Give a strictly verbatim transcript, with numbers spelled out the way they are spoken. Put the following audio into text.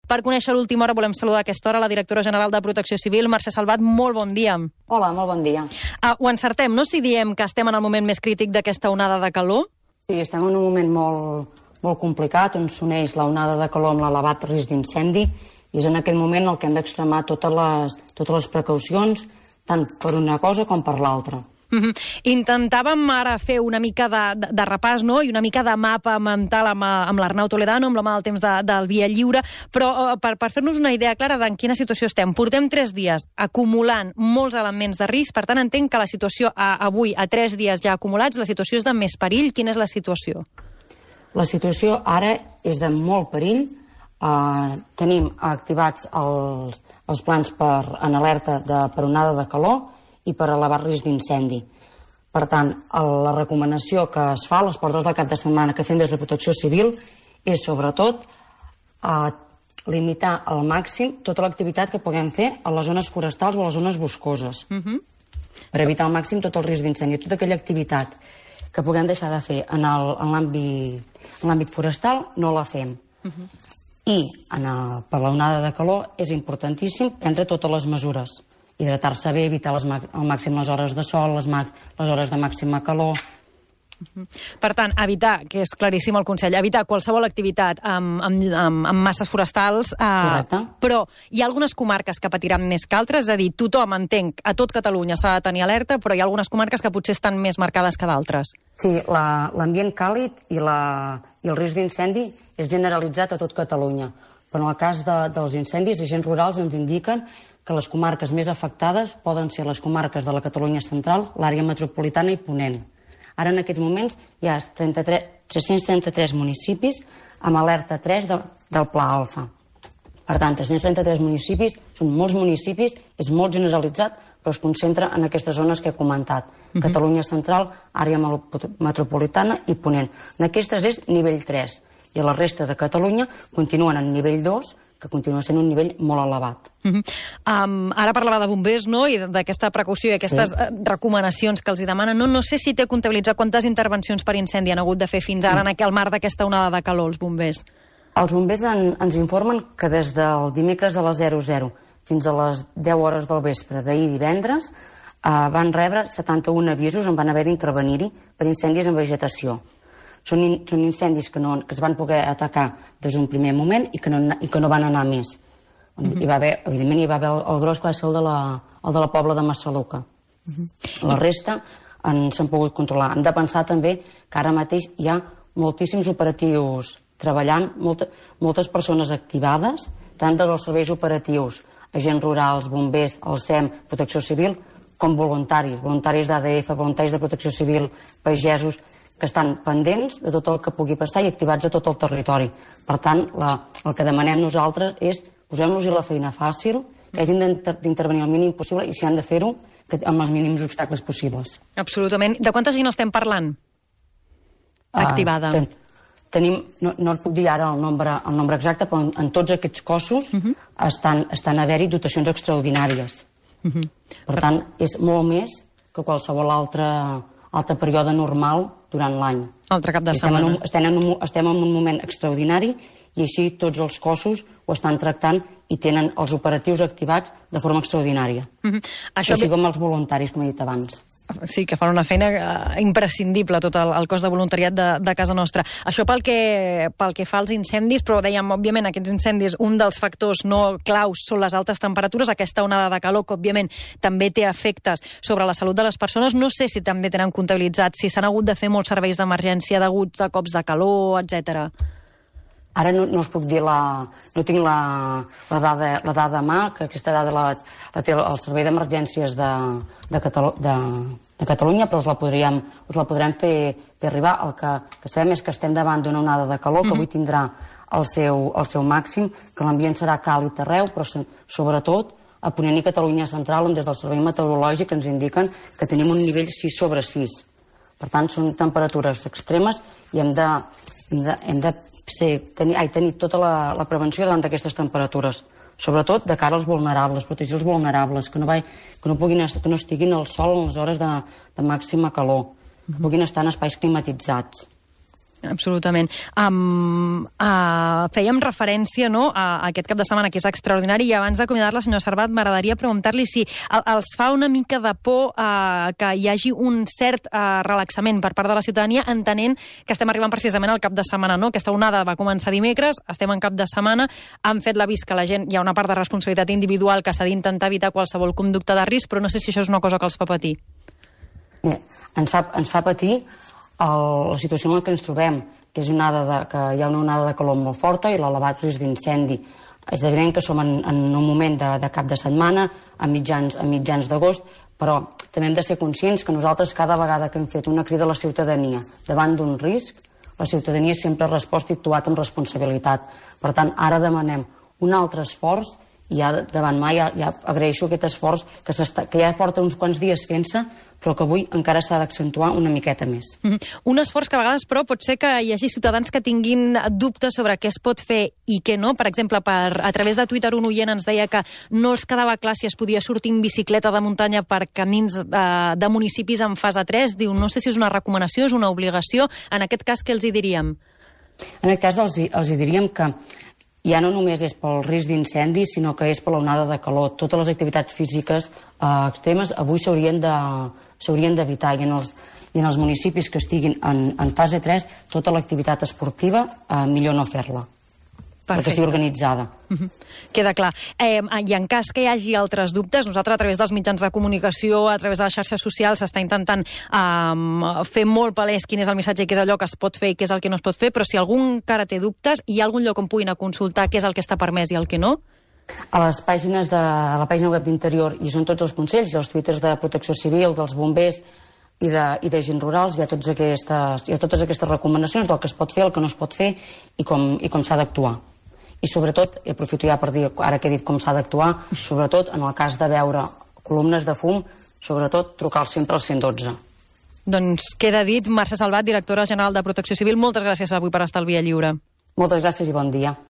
Per conèixer l'última hora volem saludar a aquesta hora la directora general de Protecció Civil, Mercè Salvat. Molt bon dia. Hola, molt bon dia. Uh, ho encertem, no? Si diem que estem en el moment més crític d'aquesta onada de calor? Sí, estem en un moment molt, molt complicat, on s'uneix la onada de calor amb l'elevat risc d'incendi, i és en aquest moment el que hem d'extremar totes les, totes les precaucions, tant per una cosa com per l'altra. Mm-hmm. Intentàvem ara fer una mica de, de, de repàs, no?, i una mica de mapa mental amb, amb l'Arnau Toledano, amb la mà del temps de, del Via Lliure, però uh, per, per fer-nos una idea clara d'en quina situació estem. Portem tres dies acumulant molts elements de risc, per tant entenc que la situació a, avui, a tres dies ja acumulats, la situació és de més perill. Quina és la situació? La situació ara és de molt perill. Uh, tenim activats els, els plans per, en alerta de, per onada de calor i per elevar risc d'incendi. Per tant, la recomanació que es fa a les portes del cap de setmana que fem des de Protecció Civil és, sobretot, eh, limitar al màxim tota l'activitat que puguem fer a les zones forestals o a les zones boscoses, uh-huh. per evitar al màxim tot el risc d'incendi. Tota aquella activitat que puguem deixar de fer en l'àmbit forestal no la fem. Uh-huh. I en el, per l'onada de calor és importantíssim prendre totes les mesures. Hidratar-se bé, evitar les, al màxim les hores de sol, les, les hores de màxima calor. Per tant, evitar, que és claríssim el consell, evitar qualsevol activitat amb, amb, amb, amb masses forestals, eh, però hi ha algunes comarques que patiran més que altres, és a dir, tothom, entenc, a tot Catalunya s'ha de tenir alerta, però hi ha algunes comarques que potser estan més marcades que d'altres. Sí, l'ambient la, càlid i, la, i el risc d'incendi és generalitzat a tot Catalunya, però en el cas de, dels incendis, els agents rurals ens indiquen que les comarques més afectades poden ser les comarques de la Catalunya central, l'àrea metropolitana i Ponent. Ara, en aquests moments, hi ha tres-cents trenta-tres municipis amb alerta tres de, del Pla Alfa. Per tant, tres-cents trenta-tres municipis, són molts municipis, és molt generalitzat, però es concentra en aquestes zones que he comentat. Uh-huh. Catalunya central, àrea metropolitana i Ponent. En aquestes és nivell tres, i la resta de Catalunya continuen en nivell dos, que continua sent un nivell molt elevat. Uh-huh. um, ara parlava de bombers, no?, i d'aquesta precaució i aquestes sí. recomanacions que els hi demanen. No, no sé si té comptabilitzat quantes intervencions per incendi han hagut de fer fins ara mm. en el marc d'aquesta onada de calor, els bombers. Els bombers en, ens informen que des del dimecres a les zero zero fins a les deu hores del vespre d'ahir divendres eh, van rebre setanta-un avisos on van haver d'intervenir-hi per incendis en vegetació. Són, in, són incendis que, no, que es van poder atacar des d'un primer moment i que no, i que no van anar més. Uh-huh. Hi va haver, evidentment, hi va haver el, el gros que va ser el de la, el de la Pobla de Massaluca. Uh-huh. La resta s'han pogut controlar. Hem de pensar també que ara mateix hi ha moltíssims operatius treballant, molta, moltes persones activades, tant dels serveis operatius, agents rurals, bombers, el S E M, Protecció Civil, com voluntaris, voluntaris d'A D F, voluntaris de Protecció Civil, pagesos, que estan pendents de tot el que pugui passar i activats a tot el territori. Per tant, la, el que demanem nosaltres és posem-nos-hi la feina fàcil, que hagin d'intervenir el mínim possible i si han de fer-ho, amb els mínims obstacles possibles. Absolutament. De quanta gent estem parlant? Activada. Uh, ten, tenim, no, no et puc dir ara el nombre, el nombre exacte, però en, en tots aquests cossos uh-huh. estan, estan a haver-hi dotacions extraordinàries. Uh-huh. Per tant, és molt més que qualsevol altre, altre període normal durant l'any. Altre cap de setmana. Estem en, un, estem, en un, estem en un moment extraordinari i així tots els cossos ho estan tractant i tenen els operatius activats de forma extraordinària. Mm-hmm. Això així com els voluntaris, com he dit abans. Sí, que fan una feina uh, imprescindible, tot el, el cos de voluntariat de, de casa nostra. Això pel que, pel que fa als incendis, però dèiem, òbviament, aquests incendis, un dels factors no claus són les altes temperatures, aquesta onada de calor, que òbviament també té efectes sobre la salut de les persones. No sé si també tenen comptabilitzat si s'han hagut de fer molts serveis d'emergència deguts a cops de calor, etcètera. Ara no, no us puc dir la... no tinc la, la, dada, la dada a mà, que aquesta dada la, la té el Servei d'Emergències de, de, Catalu, de, de Catalunya, però us la podríem, us la podrem fer, fer arribar. El que, que sabem és que estem davant d'una onada de calor, que avui tindrà el seu, el seu màxim, que l'ambient serà càlid arreu, però sobretot a Ponent i Catalunya Central, on des del Servei Meteorològic ens indiquen que tenim un nivell sis sobre sis. Per tant, són temperatures extremes i hem de, hem de, hem de ser, tenir, ai, tenir tota la, la prevenció davant d'aquestes temperatures, sobretot de cara als vulnerables, protegir els vulnerables, que no, vai, que no, puguin, que no estiguin al sol en les hores de, de màxima calor, que puguin estar en espais climatitzats. Absolutament. Um, uh, fèiem referència, no, a, a aquest cap de setmana, que és extraordinari, i abans d'acomiadar-la, senyor Servat, m'agradaria preguntar-li si el, els fa una mica de por uh, que hi hagi un cert uh, relaxament per part de la ciutadania, entenent que estem arribant precisament al cap de setmana, no? Aquesta onada va començar dimecres, estem en cap de setmana, han fet l'avís que la gent, hi ha una part de responsabilitat individual que s'ha d'intentar evitar qualsevol conducta de risc, però no sé si això és una cosa que els fa patir. Bé, ens fa, ens fa patir el, la situació en què ens trobem, que és una onada de, que hi ha una onada de calor molt forta i l'elevat risc d'incendi. És evident que som en, en un moment de, de cap de setmana, a mitjans, a mitjans d'agost, però també hem de ser conscients que nosaltres cada vegada que hem fet una crida a la ciutadania davant d'un risc, la ciutadania sempre ha respost i actuat amb responsabilitat. Per tant, ara demanem un altre esforç i ja davant mai ja, ja agraeixo aquest esforç que, que ja porta uns quants dies fent-se, però que avui encara s'ha d'accentuar una miqueta més. Mm-hmm. Un esforç que a vegades, però, pot ser que hi hagi ciutadans que tinguin dubtes sobre què es pot fer i què no. Per exemple, per, a través de Twitter un oient ens deia que no els quedava clar si es podia sortir en bicicleta de muntanya per camins de, de municipis en fase tres. Diu, no sé si és una recomanació, és una obligació. En aquest cas, què els hi diríem? En aquest cas, els, els hi diríem que ja no només és pel risc d'incendi, sinó que és per l'onada de calor. Totes les activitats físiques eh, extremes avui s'haurien de s'haurien d'evitar, i en els, i en els municipis que estiguin en, en fase tres, tota l'activitat esportiva eh, millor no fer-la, perquè sigui organitzada. Uh-huh. Queda clar. Eh, I en cas que hi hagi altres dubtes, nosaltres a través dels mitjans de comunicació, a través de les xarxes socials, s'està intentant eh, fer molt palès quin és el missatge i què és allò que es pot fer i què és el que no es pot fer, però si algú encara té dubtes, hi ha algun lloc on puguin consultar què és el que està permès i el que no? A les pàgines de a la pàgina web d'Interior hi són tots els consells, i els twitters de Protecció Civil, dels bombers i de, i de gent rurals, hi ha, tots aquestes, hi ha totes aquestes recomanacions del que es pot fer, el que no es pot fer i com, i com s'ha d'actuar. I sobretot, i aprofito ja per dir, ara que he dit com s'ha d'actuar, sobretot en el cas de veure columnes de fum, sobretot trucar sempre al cent i dotze. Doncs queda dit. Mercè Salvat, directora general de Protecció Civil, moltes gràcies avui per estar al Via Lliure. Moltes gràcies i bon dia.